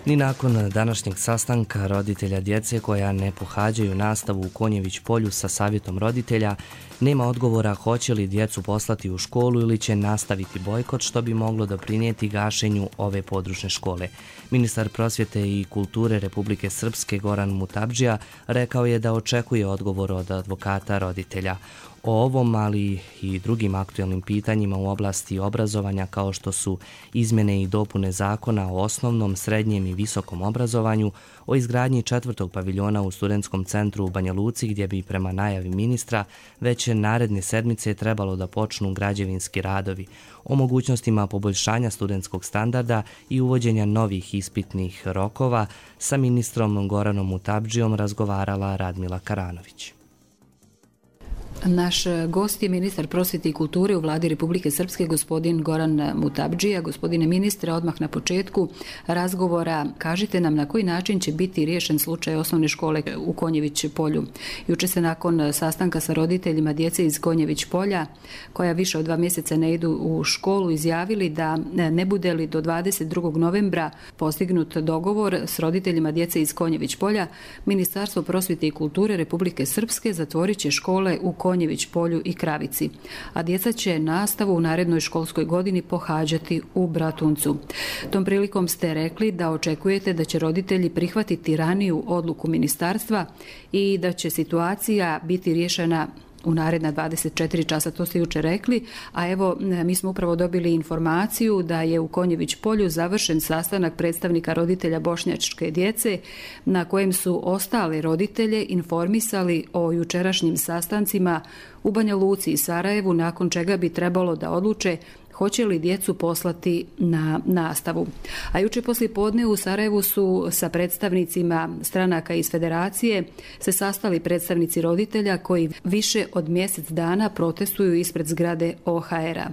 Ni nakon današnjeg sastanka roditelja djece koja ne pohađaju nastavu u Konjević polju sa savjetom roditelja, nema odgovora hoće li djecu poslati u školu ili će nastaviti bojkot, što bi moglo doprinijeti gašenju ove područne škole. Ministar prosvjete i kulture Republike Srpske Goran Mutabdžija rekao je da očekuje odgovor od advokata roditelja. O ovom, ali i drugim aktuelnim pitanjima u oblasti obrazovanja kao što su izmjene i dopune zakona o osnovnom, srednjem i visokom obrazovanju, o izgradnji 4. paviljona u studentskom centru u Banja Luci gdje bi prema najavi ministra već naredne sedmice trebalo da počnu građevinski radovi, o mogućnostima poboljšanja studentskog standarda i uvođenja novih ispitnih rokova sa ministrom Goranom Mutabdžijom razgovarala Radmila Karanović. Naš gost je ministar prosvjete i kulture u vladi Republike Srpske, gospodin Goran Mutabdžija. Gospodine ministre, odmah na početku razgovora kažite nam na koji način će biti riješen slučaj osnovne škole u Konjević polju. Juče se nakon sastanka sa roditeljima djece iz Konjević polja, koja više od 2 mjeseca ne idu u školu, izjavili da ne bude li do 22. novembra postignut dogovor s roditeljima djece iz Konjević polja, Ministarstvo prosvjete i kulture Republike Srpske zatvorit će škole u Konjević polju i Kravici, a djeca će nastavu u narednoj školskoj godini pohađati u Bratuncu. Tom prilikom ste rekli da očekujete da će roditelji prihvatiti raniju odluku ministarstva i da će situacija biti riješena u naredna 24 časa, to ste juče rekli, a evo mi smo upravo dobili informaciju da je u Konjević polju završen sastanak predstavnika roditelja bošnjačke djece na kojem su ostale roditelje informisali o jučerašnjim sastancima u Banja Luci i Sarajevu, nakon čega bi trebalo da odluče hoće li djecu poslati na nastavu. A juče poslijepodne u Sarajevu su sa predstavnicima stranaka iz federacije se sastali predstavnici roditelja koji više od mjesec dana protestuju ispred zgrade OHR-a.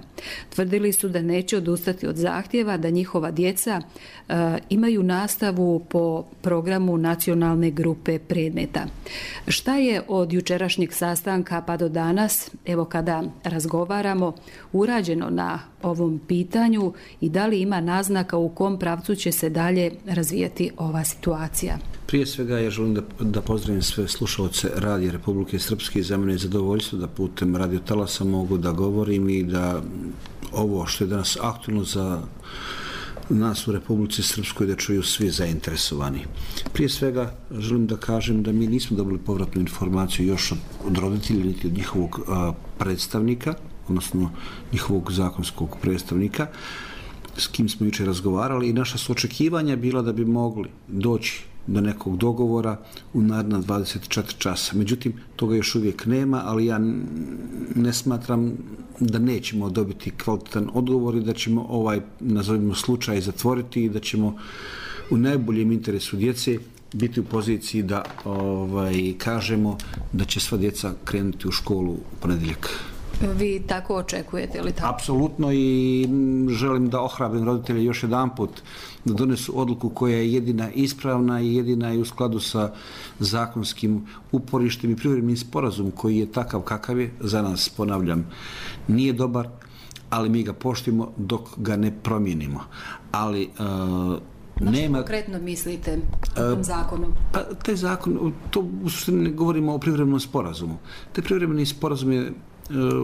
Tvrdili su da neće odustati od zahtjeva da njihova djeca imaju nastavu po programu nacionalne grupe predmeta. Šta je od jučerašnjeg sastanka pa do danas, evo kada razgovaramo, urađeno na ovom pitanju i da li ima naznaka u kom pravcu će se dalje razvijati ova situacija? Prije svega ja želim da pozdravim sve slušalce Radija Republike Srpske i za mene je zadovoljstvo da putem Radio Talasa mogu da govorim i da ovo što je danas aktualno za nas u Republici Srpskoj da čuju svi zainteresovani. Prije svega želim da kažem da mi nismo dobili povratnu informaciju još od roditelja niti od njihovog predstavnika, odnosno njihovog zakonskog predstavnika s kim smo jučer razgovarali i naša su očekivanja bila da bi mogli doći do nekog dogovora u naredna 24 časa. Međutim, toga još uvijek nema, ali ja ne smatram da nećemo dobiti kvalitetan odgovor i da ćemo ovaj, nazovimo, slučaj zatvoriti i da ćemo u najboljem interesu djece biti u poziciji da kažemo da će sva djeca krenuti u školu u ponedjeljak. Vi tako očekujete li tako? Apsolutno i želim da ohrabrim roditelje još jedanput da donesu odluku koja je jedina ispravna i jedina je u skladu sa zakonskim uporištem i privremenim sporazum koji je takav kakav je. Za nas, ponavljam, nije dobar, ali mi ga poštujemo dok ga ne promijenimo. Ali nema... konkretno mislite o tom zakonu? Pa, taj zakon, to u suštini ne govorimo o privremenom sporazumu. Taj privremeni sporazum je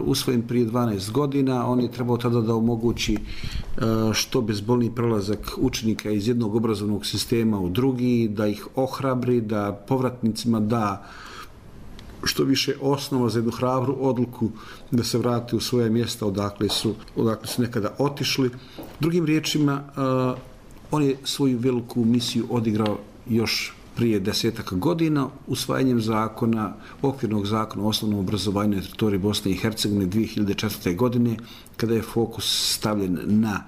usvojen prije 12 godina, on je trebao tada da omogući što bezbolniji prelazak učenika iz jednog obrazovnog sistema u drugi, da ih ohrabri, da povratnicima da što više osnova za jednu hrabru odluku da se vrate u svoje mjesta odakle su nekada otišli. Drugim riječima, on je svoju veliku misiju odigrao još prije 10 godina usvajanjem zakona, okvirnog zakona o osnovnom obrazovanju na teritoriji Bosne i Hercegovine 2004. godine, kada je fokus stavljen na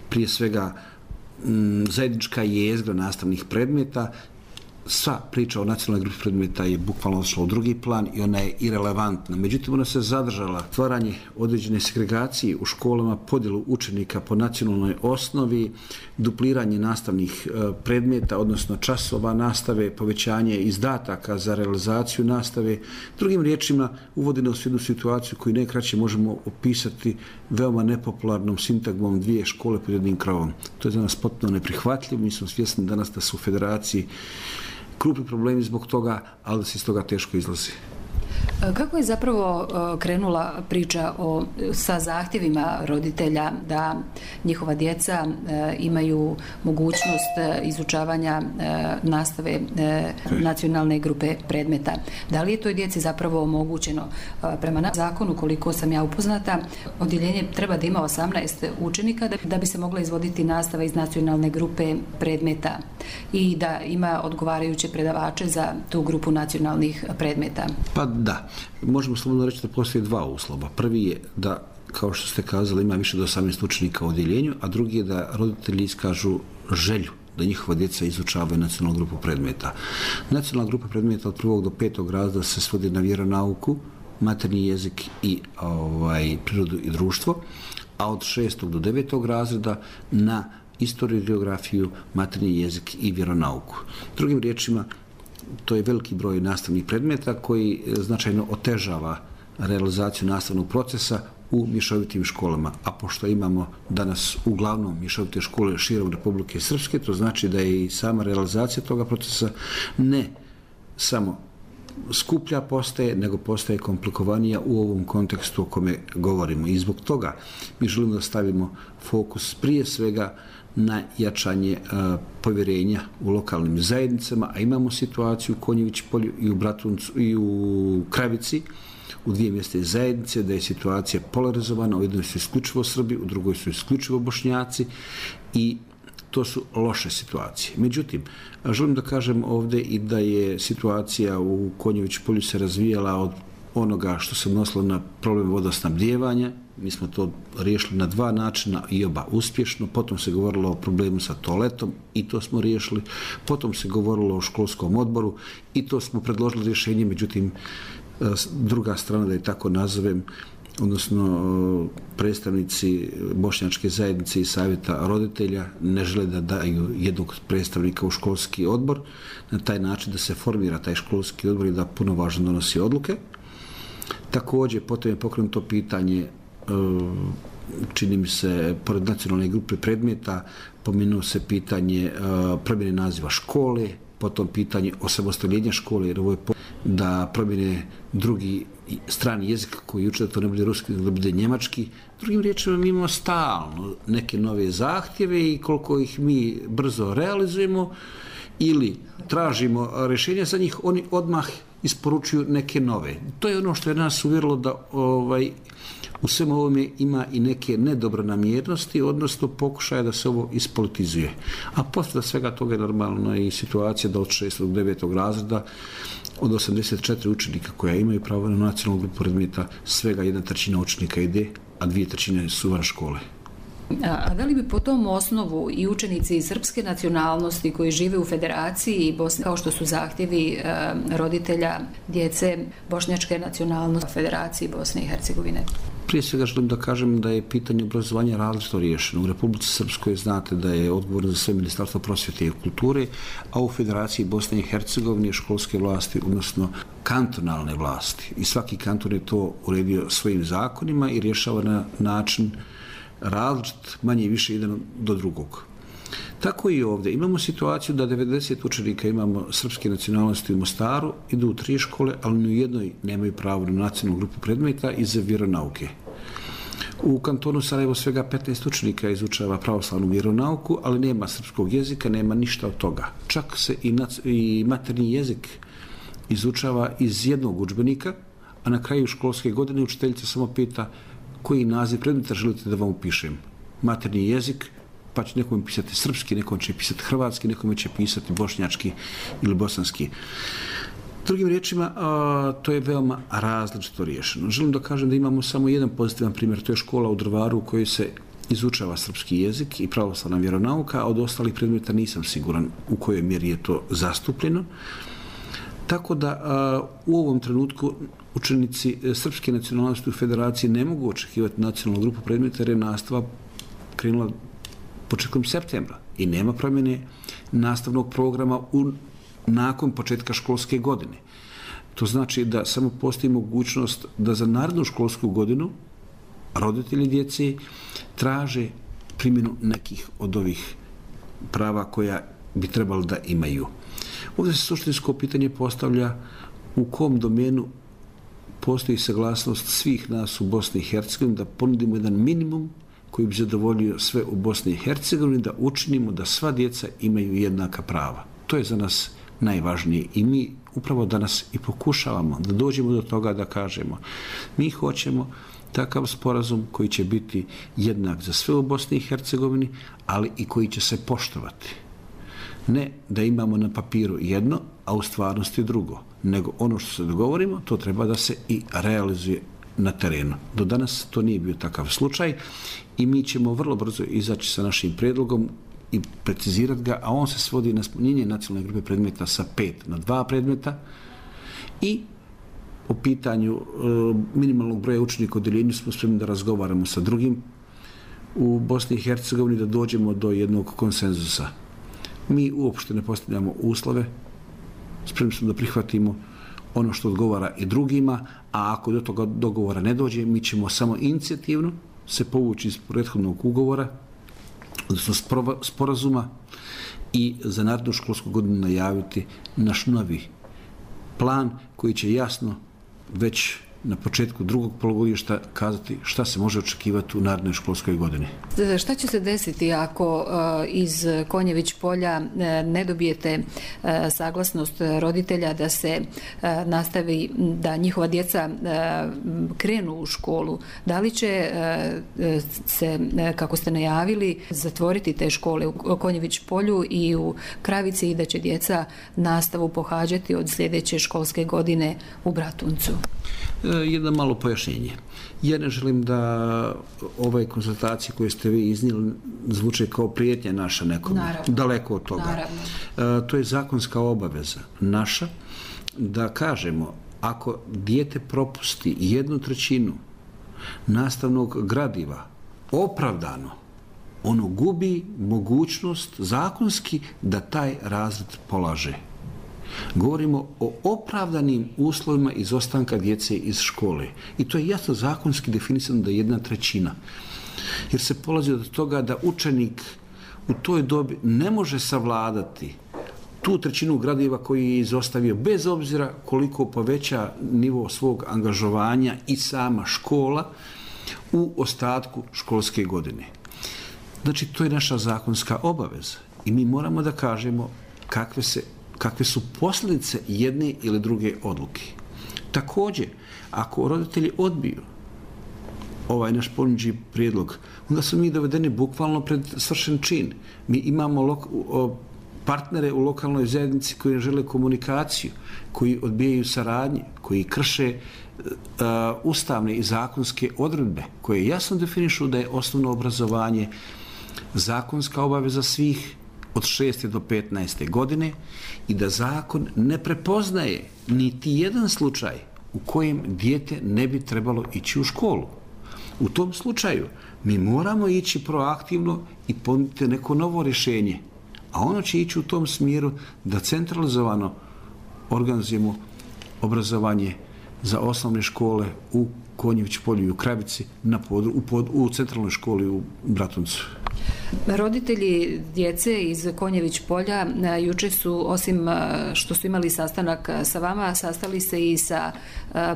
prije svega zajednička jezgra nastavnih predmeta sva priča o nacionalnoj grupi predmeta je bukvalno odšla u drugi plan i ona je irelevantna. Međutim, ona se zadržala stvaranje određene segregacije u školama, podjelu učenika po nacionalnoj osnovi, dupliranje nastavnih predmeta, odnosno časova nastave, povećanje izdataka za realizaciju nastave. Drugim riječima, uvodi nas u jednu situaciju koju najkraće možemo opisati veoma nepopularnom sintagmom dvije škole pod jednim krovom. To je za nas potpuno neprihvatljivo. Mi smo svjesni danas da su u federaciji krupni problemi zbog toga, ali da se iz toga teško izlazi. Kako je zapravo krenula priča sa zahtjevima roditelja da njihova djeca imaju mogućnost izučavanja nastave nacionalne grupe predmeta? Da li je toj djeci zapravo omogućeno? Prema zakonu, koliko sam ja upoznata, odjeljenje treba da ima 18 učenika da bi se mogla izvoditi nastava iz nacionalne grupe predmeta i da ima odgovarajuće predavače za tu grupu nacionalnih predmeta. Pa da. Možemo slobodno reći da postoje dva uslova. Prvi je da, kao što ste kazali, ima više od 18 učenika u odjeljenju, a drugi je da roditelji iskažu želju da njihova djeca izučavaju nacionalnu grupu predmeta. Nacionalna grupa predmeta od 1. do 5. razreda se svodi na vjeronauku, maternji jezik i prirodu i društvo, a od 6. do 9. razreda na istoriju i geografiju, maternji jezik i vjeronauku. Drugim riječima, to je veliki broj nastavnih predmeta koji značajno otežava realizaciju nastavnog procesa u mješovitim školama. A pošto imamo danas uglavnom mješovite škole širom Republike Srpske, to znači da je i sama realizacija toga procesa ne samo skuplja postaje, nego postaje komplikovanija u ovom kontekstu o kome govorimo. I zbog toga mi želimo da stavimo fokus prije svega na jačanje povjerenja u lokalnim zajednicama, a imamo situaciju u Konjević polju i u Bratuncu i u Kravici, u dvije mjeste zajednice, da je situacija polarizovana, u jednoj su isključivo Srbi, u drugoj su isključivo Bošnjaci i to su loše situacije. Međutim, želim da kažem ovdje i da je situacija u Konjević polju se razvijala od onoga što se odnosilo na problem vodosnabdijevanja. Mi smo to riješili na dva načina i oba uspješno. Potom se govorilo o problemu sa toaletom i to smo riješili. Potom se govorilo o školskom odboru i to smo predložili rješenje. Međutim, druga strana, da je tako nazovem, odnosno predstavnici bošnjačke zajednice i savjeta roditelja ne žele da daju jednog predstavnika u školski odbor na taj način da se formira taj školski odbor i da punovažno donosi odluke. Također, potom je pokrenuto pitanje, čini mi se, pored nacionalne grupe predmeta, pomenuo se pitanje promjene naziva škole, potom pitanje osamostaljenja škole, jer ovo je da promjene drugi strani jezik koji uče da to ne bude ruski, da bude njemački. Drugim riječima, mi imamo stalno neke nove zahtjeve i koliko ih mi brzo realizujemo ili tražimo rješenja za njih, oni odmah isporučuju neke nove. To je ono što je nas uvjerilo da u svemu ovome ima i neke nedobronamjernosti, odnosno pokušaja da se ovo ispolitizuje. A posle svega toga je normalno i situacija da od 6. do 9. razreda od 84 učenika koja imaju pravo na nacionalnu grupu predmeta, svega 1/3 učenika ide, a 2/3 su van škole. A da li bi po tom osnovu i učenici srpske nacionalnosti koji žive u Federaciji Bosne, kao što su zahtjevi roditelja djece bošnjačke nacionalnosti u Federaciji Bosne i Hercegovine? Prije svega želim da kažem da je pitanje obrazovanja različito riješeno. U Republici Srpskoj znate da je odgovorno za sve Ministarstvo prosvjete i kulture, a u Federaciji Bosne i Hercegovine školske vlasti, odnosno kantonalne vlasti. I svaki kanton je to uredio svojim zakonima i rješava na način različit, manje i više jedan do drugog. Tako i ovdje. Imamo situaciju da 90 učenika imamo srpske nacionalnosti u Mostaru, idu u 3 škole, ali ni u jednoj nemaju pravo na nacionalnu grupu predmeta iz vjeronauke. U kantonu Sarajevo svega 15 učenika izučava pravoslavnu vjeronauku, ali nema srpskog jezika, nema ništa od toga. Čak se i maternji jezik izučava iz jednog udžbenika, a na kraju školske godine učiteljica samo pita koji naziv predmeta želite da vam upišem. Maternji jezik, pa će nekom pisati srpski, nekom će pisati hrvatski, nekom će pisati bošnjački ili bosanski. Drugim riječima, to je veoma različito riješeno. Želim da kažem da imamo samo jedan pozitivan primjer, to je škola u Drvaru u kojoj se izučava srpski jezik i pravoslavna vjeronauka, a od ostalih predmeta nisam siguran u kojoj mjeri je to zastupljeno. Tako da u ovom trenutku učenici srpske nacionalnosti u federaciji ne mogu očekivati nacionalnu grupu predmeta jer je nastava krenula početkom septembra i nema promjene nastavnog programa nakon početka školske godine. To znači da samo postoji mogućnost da za narednu školsku godinu roditelji djece traže primjenu nekih od ovih prava koja bi trebali da imaju. Ovdje se suštinsko pitanje postavlja u kom domenu postoji saglasnost svih nas u Bosni i Hercegovini da ponudimo jedan minimum koji bi zadovoljio sve u Bosni i Hercegovini, da učinimo da sva djeca imaju jednaka prava. To je za nas najvažnije i mi upravo danas i pokušavamo da dođemo do toga da kažemo mi hoćemo takav sporazum koji će biti jednak za sve u Bosni i Hercegovini, ali i koji će se poštovati. Ne da imamo na papiru jedno, a u stvarnosti drugo, nego ono što se dogovorimo, to treba da se i realizuje na terenu. Do danas to nije bio takav slučaj i mi ćemo vrlo brzo izaći sa našim prijedlogom i precizirati ga, a on se svodi na smanjenje nacionalne grupe predmeta sa 5 na 2 predmeta i po pitanju minimalnog broja učenika u odeljenju smo spremni da razgovaramo sa drugim u Bosni i Hercegovini da dođemo do jednog konsenzusa. Mi uopšte ne postavljamo uslove, spremni smo da prihvatimo ono što odgovara i drugima, a ako do toga dogovora ne dođe, mi ćemo samo inicijativno se povući iz prethodnog ugovora, odnosno sporazuma i za narednu školsku godinu najaviti naš novi plan koji će jasno već na početku drugog polugodišta kazati šta se može očekivati u narednoj školskoj godini. Šta će se desiti ako iz Konjević polja ne dobijete saglasnost roditelja da se nastavi, da njihova djeca krenu u školu? Da li će se, kako ste najavili, zatvoriti te škole u Konjević polju i u Kravici i da će djeca nastavu pohađati od sljedeće školske godine u Bratuncu? Jedno malo pojašnjenje. Ja ne želim da ove konsultacije koje ste vi iznijeli zvuče kao prijetnja naša nekome. Naravno. Daleko od toga. Naravno. To je zakonska obaveza naša da kažemo ako dijete propusti 1/3 nastavnog gradiva opravdano, ono gubi mogućnost zakonski da taj razred polaže. Govorimo o opravdanim uslovima izostanka djece iz škole. I to je jasno zakonski definisano da je 1/3. Jer se polazi od toga da učenik u toj dobi ne može savladati tu 1/3 gradiva koji je izostavio, bez obzira koliko poveća nivo svog angažovanja i sama škola u ostatku školske godine. Znači, to je naša zakonska obaveza. I mi moramo da kažemo kakve su posljedice jedne ili druge odluke. Također, ako roditelji odbiju ovaj naš ponuđeni prijedlog, onda su mi dovedeni bukvalno pred svršen čin. Mi imamo partnere u lokalnoj zajednici koji žele komunikaciju, koji odbijaju saradnje, koji krše ustavne i zakonske odredbe, koje jasno definišu da je osnovno obrazovanje zakonska obaveza svih od 6. do 15. godine i da zakon ne prepoznaje niti jedan slučaj u kojem dijete ne bi trebalo ići u školu. U tom slučaju mi moramo ići proaktivno i ponuditi neko novo rješenje, a ono će ići u tom smjeru da centralizovano organizujemo obrazovanje za osnovne škole u Konjević polju i u Kravici u centralnoj školi u Bratuncu. Roditelji djece iz Konjević polja juče su, osim što su imali sastanak sa vama, sastali se i sa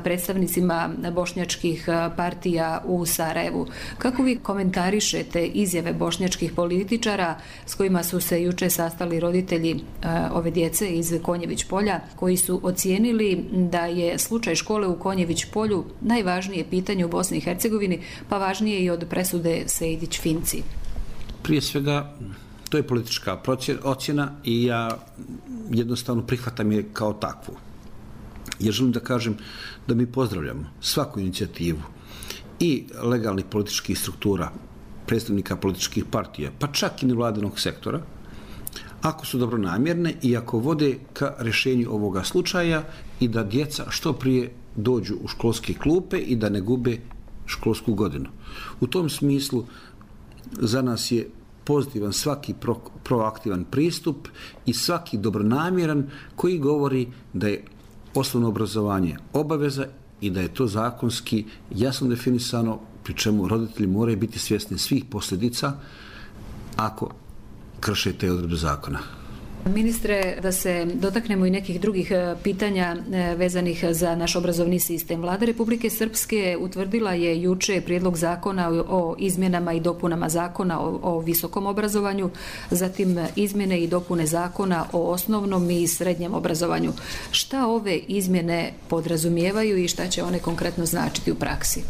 predstavnicima bošnjačkih partija u Sarajevu. Kako vi komentarišete izjave bošnjačkih političara s kojima su se juče sastali roditelji ove djece iz Konjević polja, koji su ocijenili da je slučaj škole u Konjević polju najvažnije pitanje u Bosni i Hercegovini, pa važnije i od presude Sejdić-Finci? Prije svega, to je politička ocjena i ja jednostavno prihvatam je kao takvu. Ja želim da kažem da mi pozdravljamo svaku inicijativu i legalnih političkih struktura predstavnika političkih partija, pa čak i nevladinog sektora, ako su dobronamjerne i ako vode ka rješenju ovoga slučaja i da djeca što prije dođu u školske klupe i da ne gube školsku godinu. U tom smislu za nas je pozitivan svaki proaktivan pristup i svaki dobronamjeran koji govori da je osnovno obrazovanje obaveza i da je to zakonski jasno definisano, pri čemu roditelji moraju biti svjesni svih posljedica ako krše te odredbe zakona. Ministre, da se dotaknemo i nekih drugih pitanja vezanih za naš obrazovni sistem. Vlada Republike Srpske utvrdila je juče prijedlog zakona o izmjenama i dopunama zakona o visokom obrazovanju, zatim izmjene i dopune zakona o osnovnom i srednjem obrazovanju. Šta ove izmjene podrazumijevaju i šta će one konkretno značiti u praksi?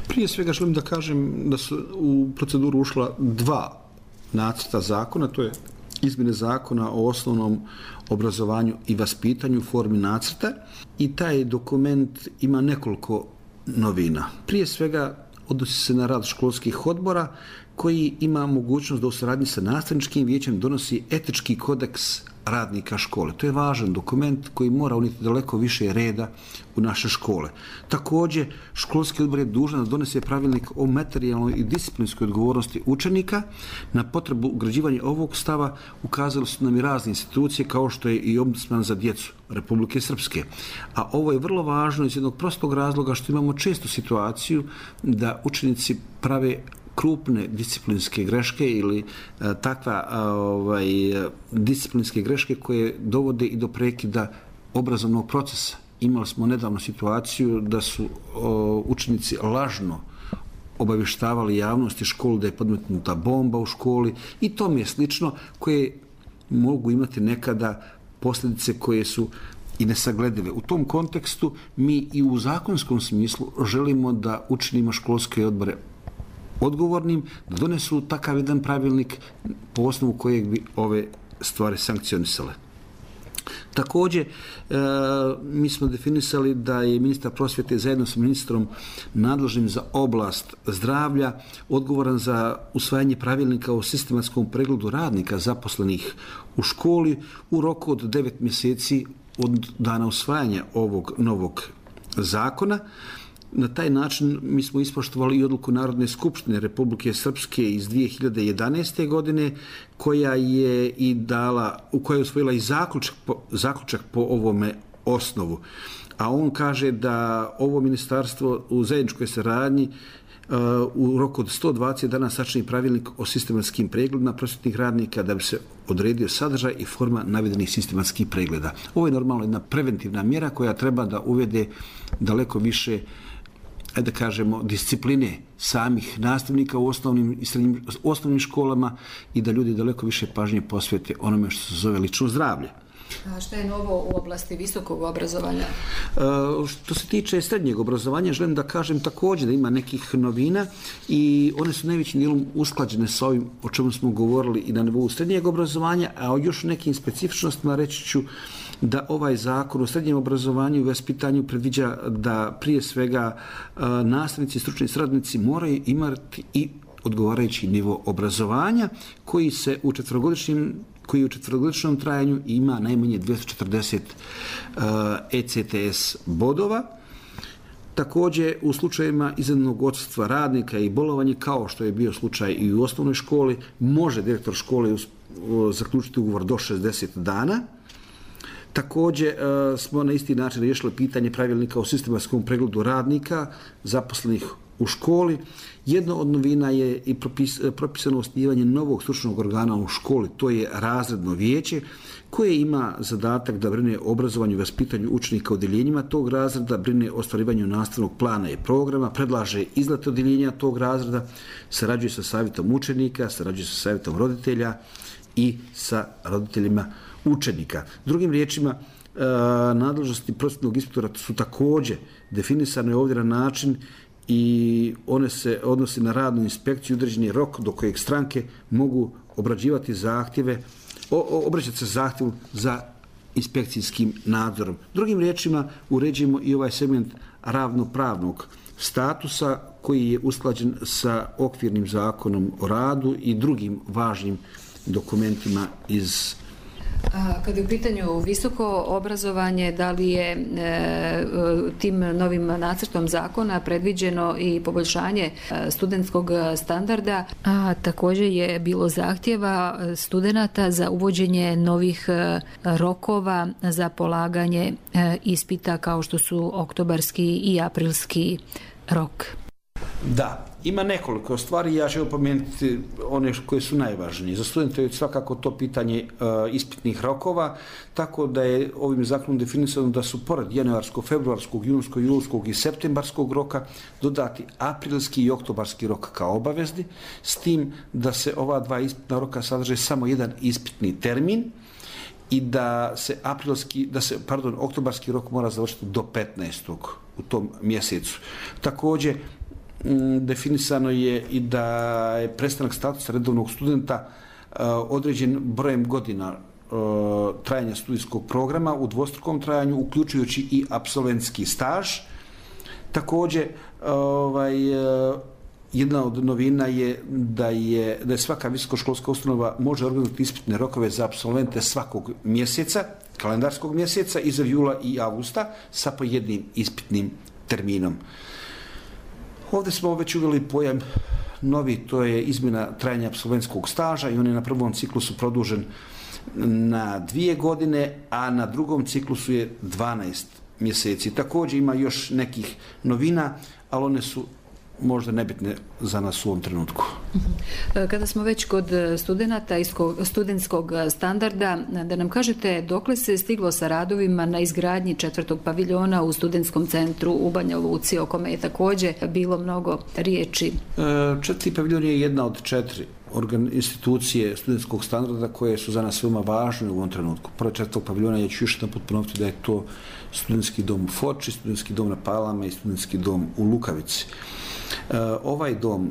Prije svega želim da kažem da su u proceduru ušla dva nacrta zakona, to je izmjene zakona o osnovnom obrazovanju i vaspitanju u formi nacrta i taj dokument ima nekoliko novina. Prije svega odnosi se na rad školskih odbora koji ima mogućnost da u suradnji sa nastavničkim vijećem donosi etički kodeks radnika škole. To je važan dokument koji mora unijeti daleko više reda u naše škole. Također, školski odbor je dužan da donese pravilnik o materijalnoj i disciplinskoj odgovornosti učenika. Na potrebu ugrađivanja ovog stava ukazali su nam i razne institucije kao što je i Ombudsman za djecu Republike Srpske. A ovo je vrlo važno iz jednog prostog razloga što imamo često situaciju da učenici prave krupne disciplinske greške ili takva disciplinske greške koje dovode i do prekida obrazovnog procesa. Imali smo nedavno situaciju da su učenici lažno obavještavali javnosti školu da je podmetnuta bomba u školi i tome je slično, koje mogu imati nekada posljedice koje su i nesagledive. U tom kontekstu mi i u zakonskom smislu želimo da učinimo školske odbore odgovornim, da donesu takav jedan pravilnik po osnovu kojeg bi ove stvari sankcionisale. Također, mi smo definisali da je ministar prosvjete zajedno sa ministrom nadležnim za oblast zdravlja odgovoran za usvajanje pravilnika o sistematskom pregledu radnika zaposlenih u školi u roku od 9 mjeseci od dana usvajanja ovog novog zakona. Na taj način mi smo ispoštovali i odluku Narodne skupštine Republike Srpske iz 2011. godine koja je i dala, u kojoj je usvojila i zaključak po ovome osnovu. A on kaže da ovo ministarstvo u zajedničkoj saradnji u roku od 120 dana sačini pravilnik o sistematskim pregledima prosvjetnih radnika da bi se odredio sadržaj i forma navedenih sistematskih pregleda. Ovo je normalno jedna preventivna mjera koja treba da uvede daleko više, da kažemo, discipline samih nastavnika u osnovnim i osnovnim školama i da ljudi daleko više pažnje posvete onome što se zove lično zdravlje. A šta je novo u oblasti visokog obrazovanja? Što se tiče srednjeg obrazovanja, želim da kažem također da ima nekih novina i one su najvećim dijelom usklađene sa ovim o čemu smo govorili i na nivou srednjeg obrazovanja, a o još nekim specifičnostima reći ću da ovaj zakon o srednjem obrazovanju i vaspitanju predviđa da prije svega nastavnici i stručni saradnici moraju imati i odgovarajući nivo obrazovanja koji u četverogodišnjem trajanju ima najmanje 240 ECTS bodova. Također, u slučajevima iznenadnog odsustva radnika i bolovanja, kao što je bio slučaj i u osnovnoj školi, može direktor škole zaključiti ugovor do 60 dana. Također smo na isti način riješili pitanje pravilnika o sistematskom pregledu radnika zaposlenih u školi. Jedna od novina je i propisano osnivanje novog stručnog organa u školi, to je razredno vijeće koje ima zadatak da brine o obrazovanju i vaspitanju učenika u odjeljenjima tog razreda, brine o ostvarivanju nastavnog plana i programa, predlaže izlete odjeljenja tog razreda, sarađuje sa savjetom učenika, sarađuje sa savjetom roditelja i sa roditeljima učenika. Drugim riječima, nadležnosti prosvjetnog inspektora su također definisane ovdje na način i one se odnosi na radnu inspekciju, određeni rok do kojeg stranke mogu obrađivati zahtjeve, obraćati se zahtjevu za inspekcijskim nadzorom. Drugim riječima, uređujemo i ovaj segment ravnopravnog statusa koji je usklađen sa okvirnim zakonom o radu i drugim važnim dokumentima iz. Kada je u pitanju visoko obrazovanje, da li je tim novim nacrtom zakona predviđeno i poboljšanje studentskog standarda, a također je bilo zahtjeva studenata za uvođenje novih rokova za polaganje ispita kao što su oktobarski i aprilski rok? Da, ima nekoliko stvari, ja ću pomenuti one koje su najvažnije. Za studente je svakako to pitanje ispitnih rokova, tako da je ovim zakonom definisano da su pored januarskog, februarskog, junskog, julskog i septembarskog roka dodati aprilski i oktobarski rok kao obavezni, s tim da se ova dva ispitna roka sadrže samo jedan ispitni termin i da se oktobarski rok mora završiti do 15. u tom mjesecu. Također, definisano je i da je prestanak statusa redovnog studenta određen brojem godina trajanja studijskog programa u dvostrukom trajanju, uključujući i apsolventski staž. Također, jedna od novina je da svaka visokoškolska ustanova može organizovati ispitne rokove za apsolvente svakog mjeseca, kalendarskog mjeseca, iza jula i avgusta, sa po jednim ispitnim terminom. Ovdje smo već uveli pojam novi, to je izmjena trajanja apsolventskog staža i on je na prvom ciklusu produžen na 2 godine, a na drugom ciklusu je 12 mjeseci. Također ima još nekih novina, ali one su možda nebitne za nas u ovom trenutku. Kada smo već kod studenata i studentskog standarda, da nam kažete dokle se stiglo sa radovima na izgradnji 4. paviljona u studentskom centru u Banja Luci, o kome je također bilo mnogo riječi. 4. paviljon je jedna od 4 institucije studentskog standarda koje su za nas veoma važne u ovom trenutku. Prvo 4. paviljona, ja ću još jedan put ponoviti da je to studentski dom u Foči, studentski dom na Palama i studentski dom u Lukavici. Ovaj dom,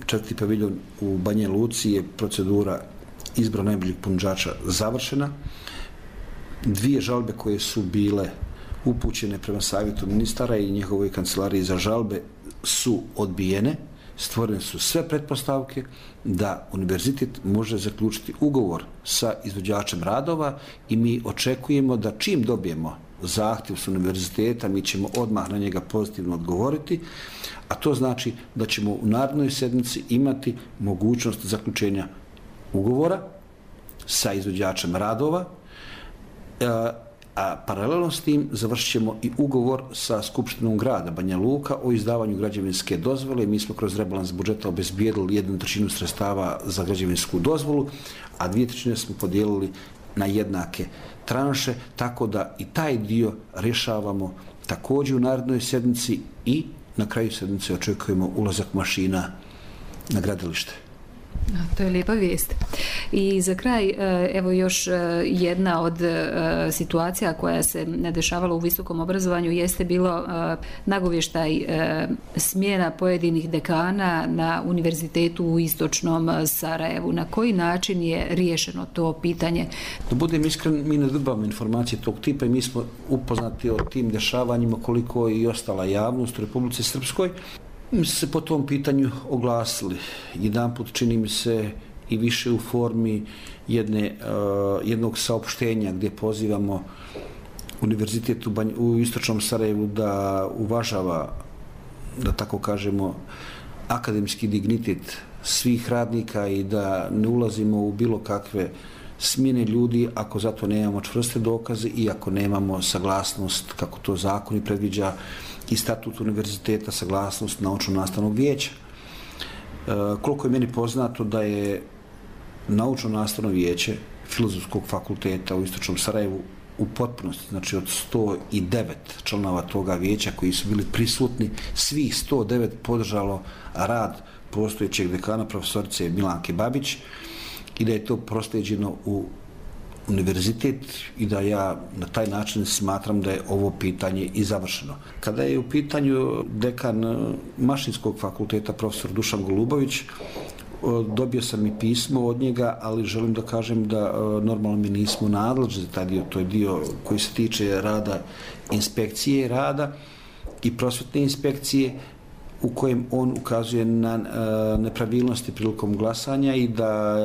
4. paviljon u Banja Luci, je procedura izbora najboljeg ponuđača završena. 2 žalbe koje su bile upućene prema savjetu ministara i njihovoj kancelariji za žalbe su odbijene. Stvorene su sve pretpostavke da univerzitet može zaključiti ugovor sa izvođačem radova i mi očekujemo da čim dobijemo zahtjev s univerziteta, mi ćemo odmah na njega pozitivno odgovoriti, a to znači da ćemo u narednoj sedmici imati mogućnost zaključenja ugovora sa izvođačem radova, a paralelno s tim završit ćemo i ugovor sa Skupštinom grada Banja Luka o izdavanju građevinske dozvole. Mi smo kroz rebalans budžeta obezbijedili 1/3 sredstava za građevinsku dozvolu, a 2/3 smo podijelili na jednake tranše, tako da i taj dio rješavamo također u narednoj sedmici i na kraju sedmice očekujemo ulazak mašina na gradilište. To je lijepa vijest. I za kraj, evo još jedna od situacija koja se dešavala u visokom obrazovanju jeste bilo nagovještaj smjena pojedinih dekana na univerzitetu u istočnom Sarajevu. Na koji način je riješeno to pitanje? Da budem iskren, mi ne dobivamo informacije tog tipa i mi smo upoznati o tim dešavanjima koliko je i ostala javnost u Republici Srpskoj. Mi smo se po tom pitanju oglasili. Jedanput čini mi se i više u formi jednog saopštenja gdje pozivamo univerzitet u istočnom Sarajevu da uvažava, da tako kažemo, akademski dignitet svih radnika i da ne ulazimo u bilo kakve smjene ljudi ako zato nemamo čvrste dokaze i ako nemamo saglasnost, kako to zakon i predviđa, i statut univerziteta, saglasnost naučno-nastavnog vijeća. Koliko je meni poznato da je naučno-nastavno vijeće Filozofskog fakulteta u istočnom Sarajevu u potpunosti, znači od 109 članova toga vijeća koji su bili prisutni, svih 109 podržalo rad postojećeg dekana profesorice Milanke Babić i da je to proslijeđeno u univerzitet i da ja na taj način smatram da je ovo pitanje i završeno. Kada je u pitanju dekan Mašinskog fakulteta profesor Dušan Golubović, dobio sam i pismo od njega, ali želim da kažem da normalno mi nismo nadležni za taj dio, to je dio koji se tiče rada inspekcije rada i prosvetne inspekcije, u kojem on ukazuje na nepravilnosti prilikom glasanja i da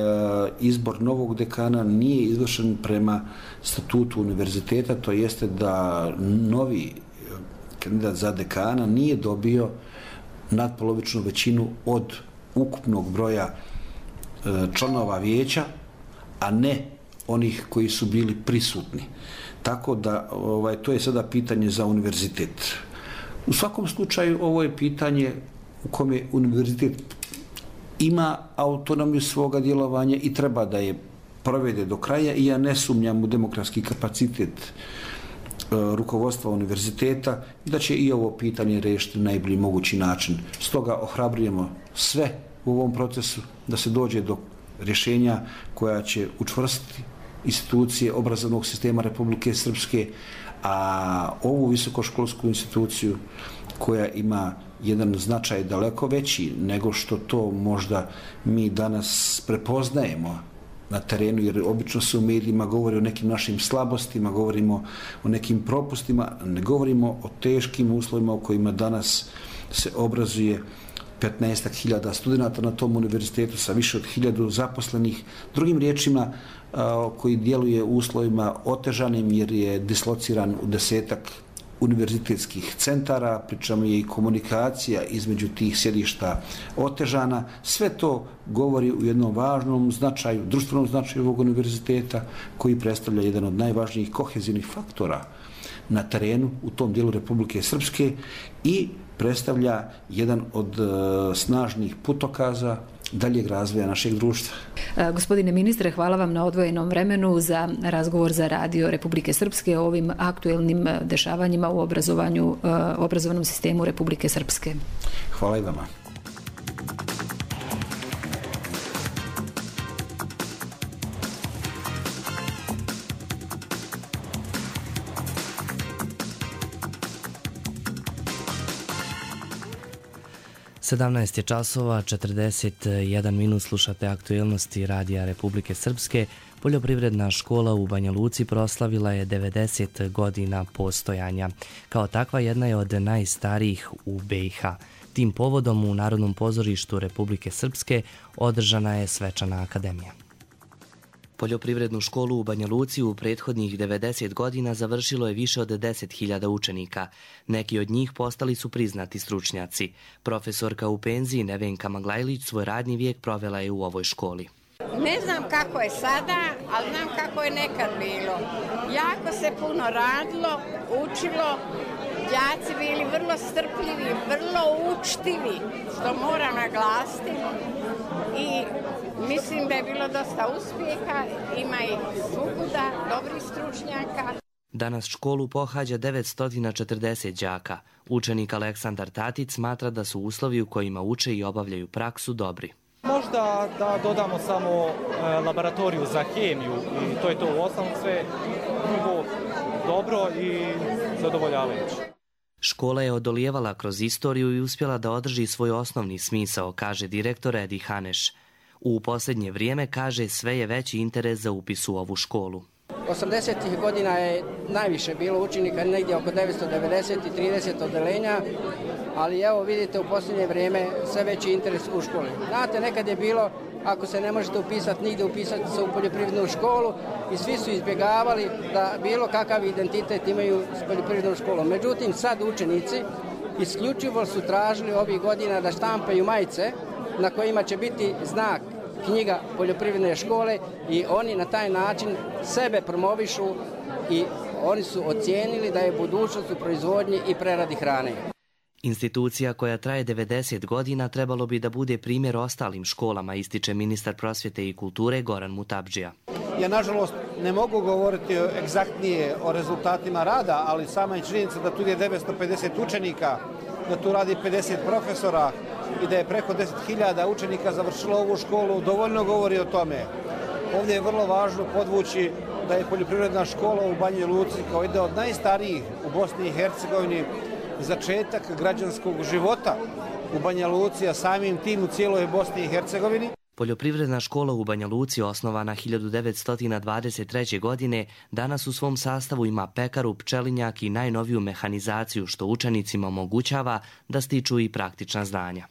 izbor novog dekana nije izvršen prema statutu univerziteta, to jeste da novi kandidat za dekana nije dobio nadpolovičnu većinu od ukupnog broja članova vijeća, a ne onih koji su bili prisutni. Tako da to je sada pitanje za univerzitet. U svakom slučaju ovo je pitanje u kome univerzitet ima autonomiju svoga djelovanja i treba da je provede do kraja i ja ne sumnjam u demokratski kapacitet rukovodstva univerziteta da će i ovo pitanje riješiti na najbolji mogući način. Stoga ohrabrujemo sve u ovom procesu da se dođe do rješenja koja će učvrstiti institucije obrazovnog sistema Republike Srpske, a ovu visokoškolsku instituciju koja ima jedan značaj daleko veći nego što to možda mi danas prepoznajemo na terenu, jer obično se u medijima govori o nekim našim slabostima, govorimo o nekim propustima, ne govorimo o teškim uslovima u kojima danas se obrazuje 15.000 studenta na tom univerzitetu sa više od 1000 zaposlenih. Drugim riječima, koji djeluje u uslovima otežanim jer je dislociran u 10-ak univerzitetskih centara, pričamo je i komunikacija između tih sjedišta otežana. Sve to govori u jednom važnom značaju, društvenom značaju ovog univerziteta koji predstavlja jedan od najvažnijih kohezivnih faktora na terenu u tom dijelu Republike Srpske i predstavlja jedan od snažnih putokaza daljeg razvoja našeg društva. Gospodine ministre, hvala vam na odvojenom vremenu za razgovor za Radio Republike Srpske o ovim aktuelnim dešavanjima u obrazovnom sistemu Republike Srpske. Hvala i vama. Sedamnaest je časova, 41 minut, slušate aktuelnosti Radija Republike Srpske. Poljoprivredna škola u Banja Luci proslavila je 90 godina postojanja. Kao takva jedna je od najstarijih u BiH. Tim povodom u Narodnom pozorištu Republike Srpske održana je svečana akademija. Poljoprivrednu školu u Banja Luci u prethodnih 90 godina završilo je više od 10.000 učenika. Neki od njih postali su priznati stručnjaci. Profesorka u penziji Nevenka Maglajlić svoj radni vijek provela je u ovoj školi. Ne znam kako je sada, ali znam kako je nekad bilo. Jako se puno radilo, učilo, đaci bili vrlo strpljivi, vrlo učtivi, što moram naglasiti. I mislim da je bilo dosta uspjeha, ima i svukuda, dobrih stručnjaka. Danas školu pohađa 940 đaka. Učenik Aleksandar Tatic smatra da su uslovi u kojima uče i obavljaju praksu dobri. Možda da dodamo samo laboratoriju za hemiju i to je to u osnovu sve drugo dobro i zadovoljavajuće. Škola je odolijevala kroz istoriju i uspjela da održi svoj osnovni smisao, kaže direktor Edi Haneš. U posljednje vrijeme, kaže, sve je veći interes za upis u ovu školu. 80. godina je najviše bilo učenika, negdje oko 990 i 30 odelenja, ali evo vidite u posljednje vrijeme sve veći interes u školi. Znate, nekad je bilo, ako se ne možete upisati nigdje, upisati se u poljoprivrednu školu i svi su izbjegavali da bilo kakav identitet imaju s poljoprivrednom školom. Međutim, sad učenici isključivo su tražili ovih godina da štampaju majice na kojima će biti znak knjiga poljoprivredne škole i oni na taj način sebe promovišu i oni su ocijenili da je budućnost u proizvodnji i preradi hrane. Institucija koja traje 90 godina trebalo bi da bude primjer ostalim školama, ističe ministar prosvjete i kulture Goran Mutabdžija. Ja, nažalost, ne mogu govoriti egzaktnije o rezultatima rada, ali sama je činjenica da tu je 950 učenika, da tu radi 50 profesora i da je preko 10.000 učenika završilo ovu školu, dovoljno govori o tome. Ovdje je vrlo važno podvući da je poljoprivredna škola u Banji Luci kao jedna od najstarijih u Bosni i Hercegovini začetak građanskog života u Banja Luci, a samim tim u cijeloj Bosni i Hercegovini. Poljoprivredna škola u Banja Luci, osnovana 1923. godine, danas u svom sastavu ima pekaru, pčelinjak i najnoviju mehanizaciju, što učenicima omogućava da stiču i praktična znanja.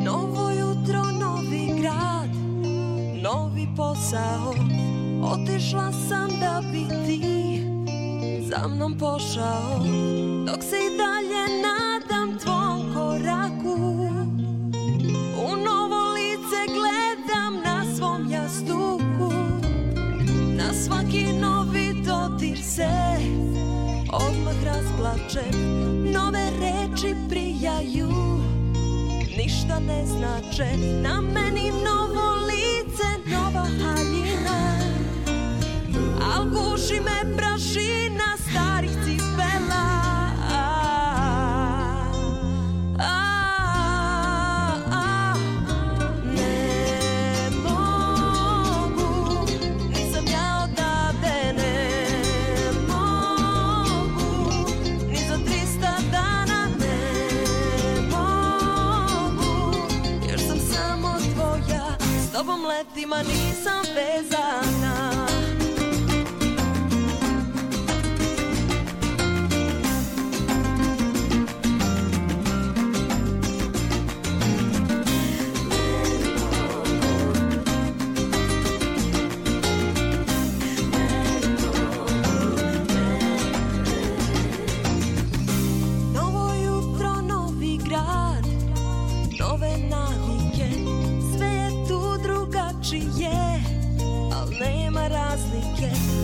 Novo jutro, novi grad, novi posao. Otišla sam da bi ti za mnom pošao, dok se i dalje nadam tvom koraku. U novo lice gledam na svom jastuku, na svaki novi dodir se odmah razplačem. Nove reči prijaju, ništa ne znače, na meni novo lice, nova haljina. Al guši me prašina starih cipela. Ne mogu, nisam ja odavde, ne mogu, ni za 300 dana, ne mogu, jer sam samo tvoja, s tobom letima nisam vezana.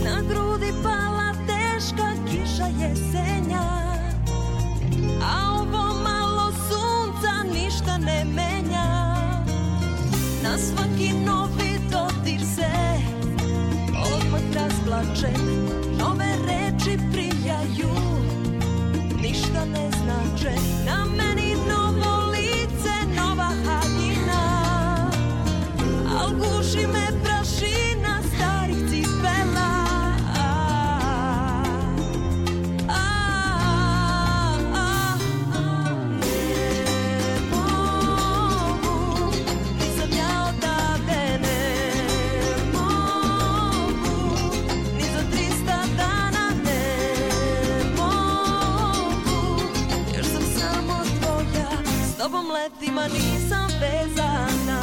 Na grudi pala teška kiša jesenja, a ovo malo sunca ništa ne menja. Na svaki novi dodir se odmah razplačem. Nove reči prijaju, ništa ne znače, na meni novo lice, nova haljina. Al guši me prašina starih cipela. Letima nisam vezana.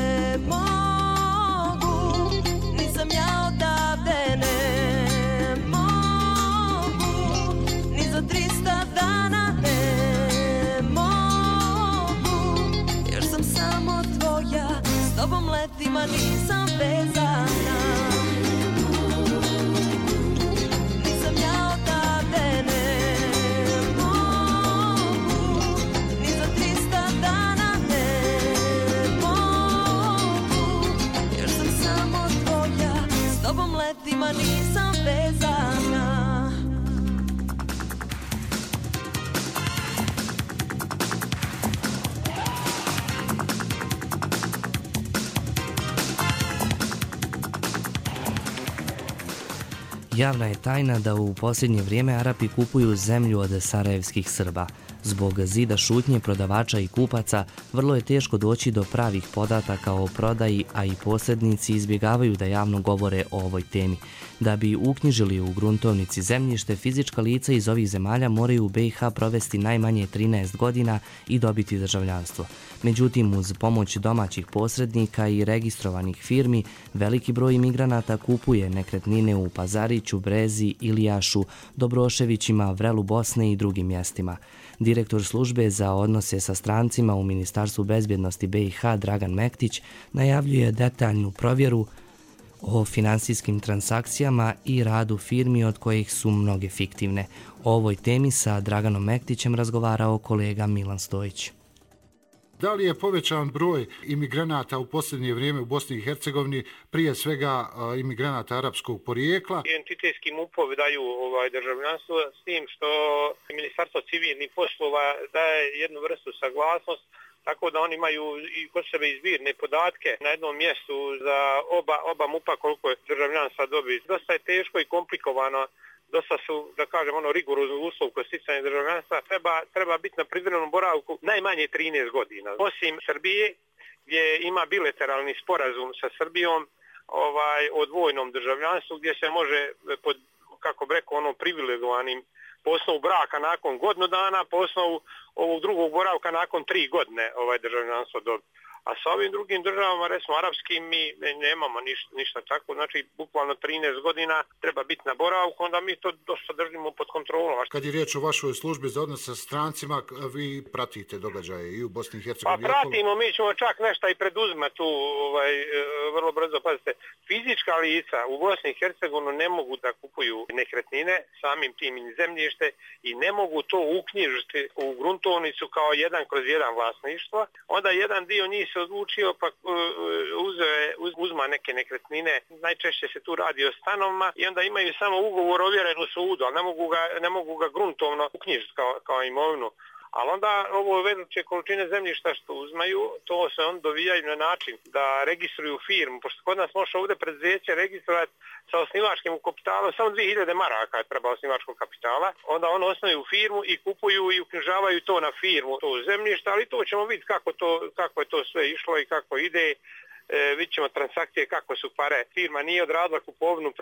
Ne mogu, nisam ja odavde, ne. 300 dana ne mogu, jer sam samo tvoja, s tobom letima nisam vezana. Nisam ja odavde, ne mogu, ni za 300 dana ne mogu, jer sam samo tvoja, s tobom letima nisam vezana. Javna je tajna da u posljednje vrijeme Arapi kupuju zemlju od sarajevskih Srba. Zbog zida šutnje prodavača i kupaca vrlo je teško doći do pravih podataka o prodaji, a i posrednici izbjegavaju da javno govore o ovoj temi. Da bi uknjižili u gruntovnici zemljište, fizička lica iz ovih zemalja moraju u BiH provesti najmanje 13 godina i dobiti državljanstvo. Međutim, uz pomoć domaćih posrednika i registrovanih firmi, veliki broj imigranata kupuje nekretnine u Pazariću, Brezi, Ilijašu, Dobroševićima, Vrelu Bosne i drugim mjestima. Direktor službe za odnose sa strancima u Ministarstvu bezbjednosti BiH Dragan Mektić najavljuje detaljnu provjeru o finansijskim transakcijama i radu firmi od kojih su mnoge fiktivne. O ovoj temi sa Draganom Mektićem razgovarao kolega Milan Stojić. Da li je povećan broj imigranata u posljednje vrijeme u Bosni i Hercegovini, prije svega imigranata arapskog porijekla? Entitetski MUP-ovi daju državljanstvo, s tim što Ministarstvo civilnih poslova daje jednu vrstu saglasnost, tako da oni imaju i kod sebe izbirne podatke na jednom mjestu za oba MUP-a koliko je državljanstva dobiti. Dosta je teško i komplikovano, dosta su, da kažem, rigorozno uslov kod sticanja državljanstva. Treba biti na privremenom boravku najmanje 13 godina. Osim Srbije, gdje ima bilateralni sporazum sa Srbijom o dvojnom državljanstvu, gdje se može, pod, kako bi rekao, privilegovanim po osnovu braka nakon godinu dana, po osnovu ovog drugog boravka nakon 3 godine državljanstvo dobiti. A sa ovim drugim državama, recimo arapskim, mi nemamo ništa tako, znači bukvalno 13 godina treba biti na boravku, onda mi to dosta držimo pod kontrolom. Kad je riječ o vašoj službi za odnos sa strancima, vi pratite događaje i u Bosni i Hercegovini? Pa pratimo, mi ćemo čak nešto i preduzmati tu vrlo brzo. Pazite, fizička lica u Bosni i Hercegovini ne mogu da kupuju nekretnine, samim tim i zemljište, i ne mogu to uknjižiti u gruntovnicu kao 1/1 vlasništvo. Onda jedan dio njih se odlučio pa uzma neke nekretnine, najčešće se tu radi o stanovima, i onda imaju samo ugovor ovjeren u sudu, ali ne mogu ga gruntovno uknjižiti kao imovinu. Ali onda ovo velike količine zemljišta što uzmaju, to se on dovijaju na način da registruju firmu, pošto kod nas može ovdje preduzeće registrovati sa osnivačkim kapitalom, samo 2000 maraka treba osnivačkog kapitala, onda ono osnuju firmu i kupuju i uknjižavaju to na firmu, to zemljište, ali to ćemo vidjeti kako je to sve išlo i kako ide. Vidjet ćemo transakcije kako su pare. Firma nije odradila kupovnu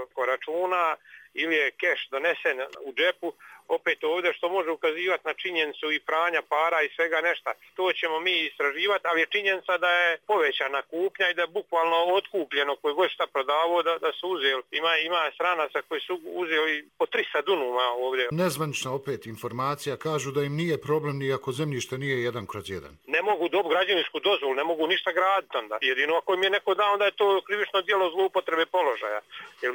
preko računa ili je keš donesen u džepu, opet ovdje, što može ukazivati na činjenicu i pranja para i svega nešto. To ćemo mi istraživati, ali je činjenica da je povećana kupnja i da je bukvalno otkupljeno koji god šta prodavao da su uzeli. Ima stranaca koji su uzeli po 300 dunuma ovdje. Nezvanična opet informacija, kažu da im nije problem ni ako zemljište nije 1/1. Ne mogu dobiti građevinsku dozvolu, ne mogu ništa graditi onda. Jedino ako im je neko dao, onda je to krivično djelo zloupotrebe položaja. Jer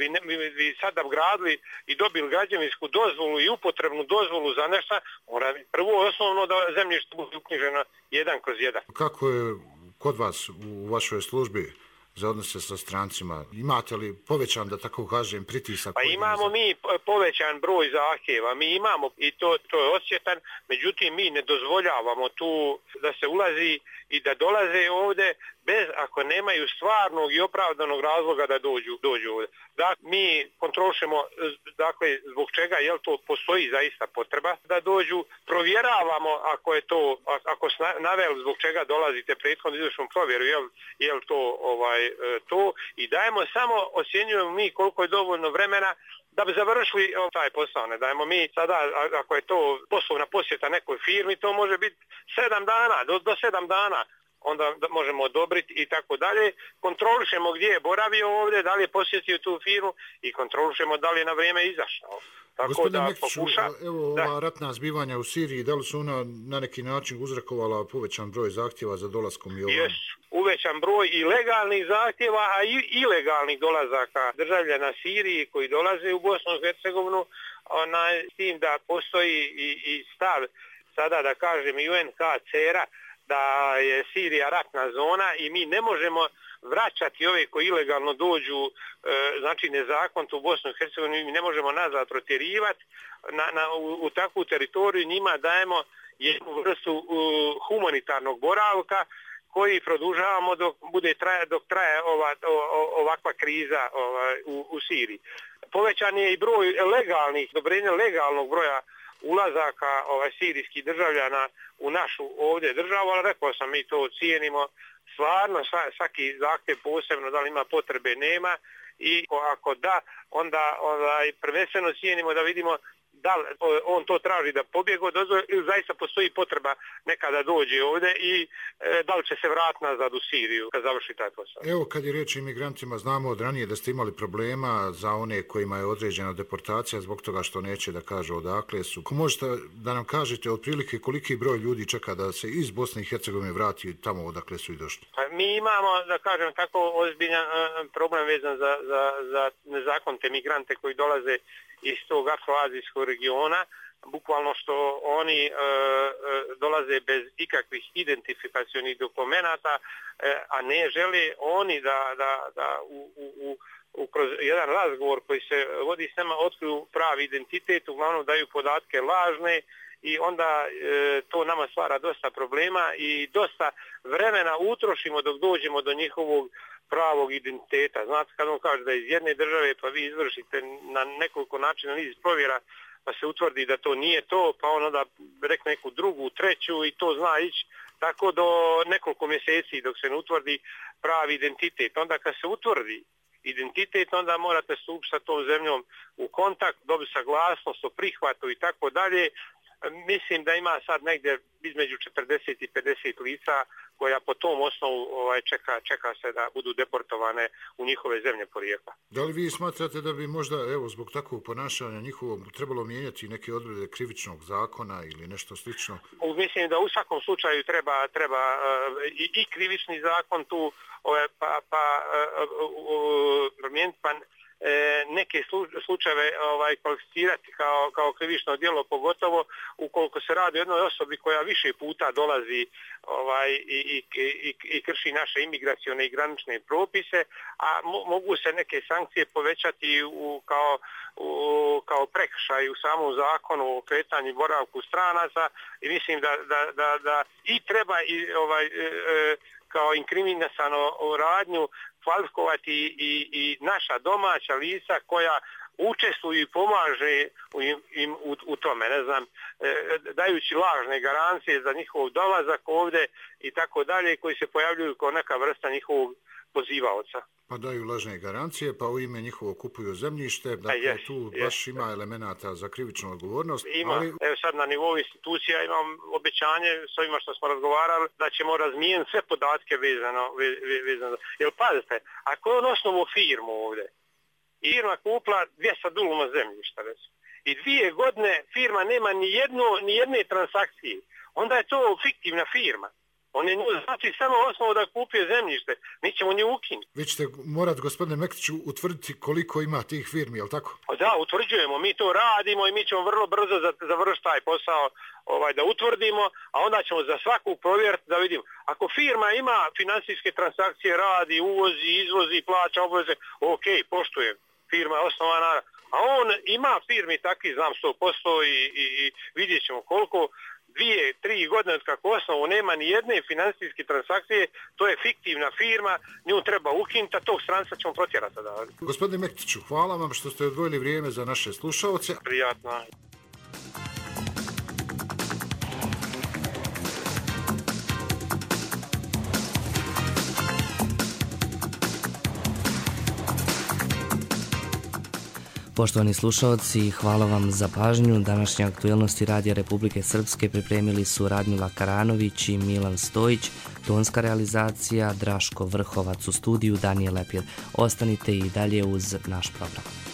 vi sada gradili i dobili građevinsku dozvolu i upotrebnu dozvolu za nešto, mora prvo osnovno da zemljište bude uknjiženo 1/1. Kako je kod vas u vašoj službi za odnose sa strancima? Imate li povećan, da tako kažem, pritisak? Pa imamo mi povećan broj zahtjeva, mi imamo i to je osjetan, međutim mi ne dozvoljavamo tu da se ulazi i da dolaze ovdje bez ako nemaju stvarnog i opravdanog razloga da dođu ovdje. Dakle, mi kontrolišemo zbog čega to postoji zaista potreba da dođu, provjeravamo ako su naveli zbog čega dolazite prethodno izvršnom provjeru, je li to, i dajemo samo, ocjenjujemo mi koliko je dovoljno vremena da bi završili taj posao. Ne dajemo mi sada, ako je to poslovna posjeta nekoj firmi, to može biti 7 dana, do 7 dana. Onda možemo odobriti i tako dalje. Kontrolišemo gdje je boravio ovdje, da li je posjetio tu firmu i kontrolišemo da li je na vrijeme izašao. Gospodine Mekiću, ova ratna zbivanja u Siriji, da li su ona na neki način uzrokovala povećan broj zahtjeva za dolaskom i ovom? Jesu, uvećan broj i legalnih zahtjeva, a i ilegalnih dolazaka državljana Siriji koji dolaze u Bosnu i Hercegovinu, s tim da postoji i stav sada, da kažem, UNHCR-a da je Sirija ratna zona i mi ne možemo vraćati ove koji ilegalno dođu, znači nezakonito u Bosnu i Hercegovinu, mi ne možemo nazad protjerivati u takvu teritoriju, njima dajemo jednu vrstu humanitarnog boravka koji produžavamo dok traje ovakva kriza u Siriji. Povećan je i broj odobrenja legalnog broja ulazaka sirijskih državljana u našu ovdje državu, ali rekao sam, mi to cijenimo stvarno, svaki zahtjev posebno, da li ima potrebe, nema, i ako da, onda prvenstveno cijenimo da vidimo da li on to traži da pobjegao ili zaista postoji potreba nekada dođe ovdje i da li će se vratiti nazad u Siriju kad završi taj posao. Evo, kad je riječ o imigrantima, znamo od ranije da ste imali problema za one kojima je određena deportacija zbog toga što neće da kažu odakle su. Ako možete da nam kažete otprilike koliki broj ljudi čeka da se iz Bosne i Hercegovine vrati tamo odakle su i došli? Pa mi imamo, da kažem, tako ozbiljan problem vezan za nezakonite migrante koji dolaze iz tog afroazijskog regiona, bukvalno što oni dolaze bez ikakvih identifikacionih dokumenata, a ne žele oni da kroz jedan razgovor koji se vodi s nama otkriju pravi identitet, uglavnom daju podatke lažne i onda to nama stvara dosta problema i dosta vremena utrošimo dok dođemo do njihovog pravog identiteta. Znate, kad on kaže da je iz jedne države, pa vi izvršite na nekoliko načina niz provjera, pa se utvrdi da to nije to, pa on onda rekne neku drugu, treću i to zna ići tako do nekoliko mjeseci dok se ne utvrdi pravi identitet. Onda kad se utvrdi identitet, onda morate stupiti sa tom zemljom u kontakt, dobiti saglasnost o prihvatu i tako dalje. Mislim da ima sad negdje između 40 i 50 lica koja po tom osnovu čeka se da budu deportovane u njihove zemlje porijekla. Da li vi smatrate da bi možda zbog takvog ponašanja njihovog trebalo mijenjati neke odredbe krivičnog zakona ili nešto slično? Mislim da u svakom slučaju treba i krivični zakon tu promijeniti, pa neke slučajeve kvalificirati kao krivično djelo, pogotovo ukoliko se radi o jednoj osobi koja više puta dolazi i krši naše imigracione i granične propise, a mogu se neke sankcije povećati kao prekršaj u samom zakonu o kretanju i boravku stranaca i mislim da i treba kao inkriminasano radnju kvalifikovati i naša domaća lica koja učestvuju i pomaže im u tome, ne znam, dajući lažne garancije za njihov dolazak ovdje i tako dalje, koji se pojavljuju kao neka vrsta njihovog pozivaoca. Pa daju lažne garancije, pa u ime njihovo kupuju zemljište, dakle tu baš ima elemenata za krivičnu odgovornost. Ima, evo sad na nivou institucija imam obećanje s ovima što smo razgovarali da ćemo razmijeniti sve podatke vezano. Jer pazite, ako je on osnovu firmu ovdje i firma kupila 200 duluma zemljišta i 2 godine firma nema ni jedne transakcije, onda je to fiktivna firma. On je znači samo osnovu da kupio zemljište, mi ćemo nju ukinuti. Vi ćete morati, gospodine Mektiću, utvrditi koliko ima tih firmi, je li tako? Da, utvrđujemo, mi to radimo i mi ćemo vrlo brzo završiti taj posao da utvrdimo, a onda ćemo za svaku provjeriti da vidimo. Ako firma ima financijske transakcije, radi, uvozi, izvozi, plaća obveze, ok, poštujem, firma je osnovana, a on ima firmi takvi, znam 100% i vidjet ćemo koliko. 2-3 godine od kako osnovu nema ni jedne financijske transakcije, to je fiktivna firma, nju treba ukinuti, a tog stranca ćemo protjerati. Gospodine Mektiću, hvala vam što ste odvojili vrijeme za naše slušaoce. Prijatno. Poštovani slušalci, hvala vam za pažnju. Današnje aktuelnosti Radija Republike Srpske pripremili su Radmila Karanović i Milan Stojić, tonska realizacija Draško Vrhovac, u studiju Danijel Lepir. Ostanite i dalje uz naš program.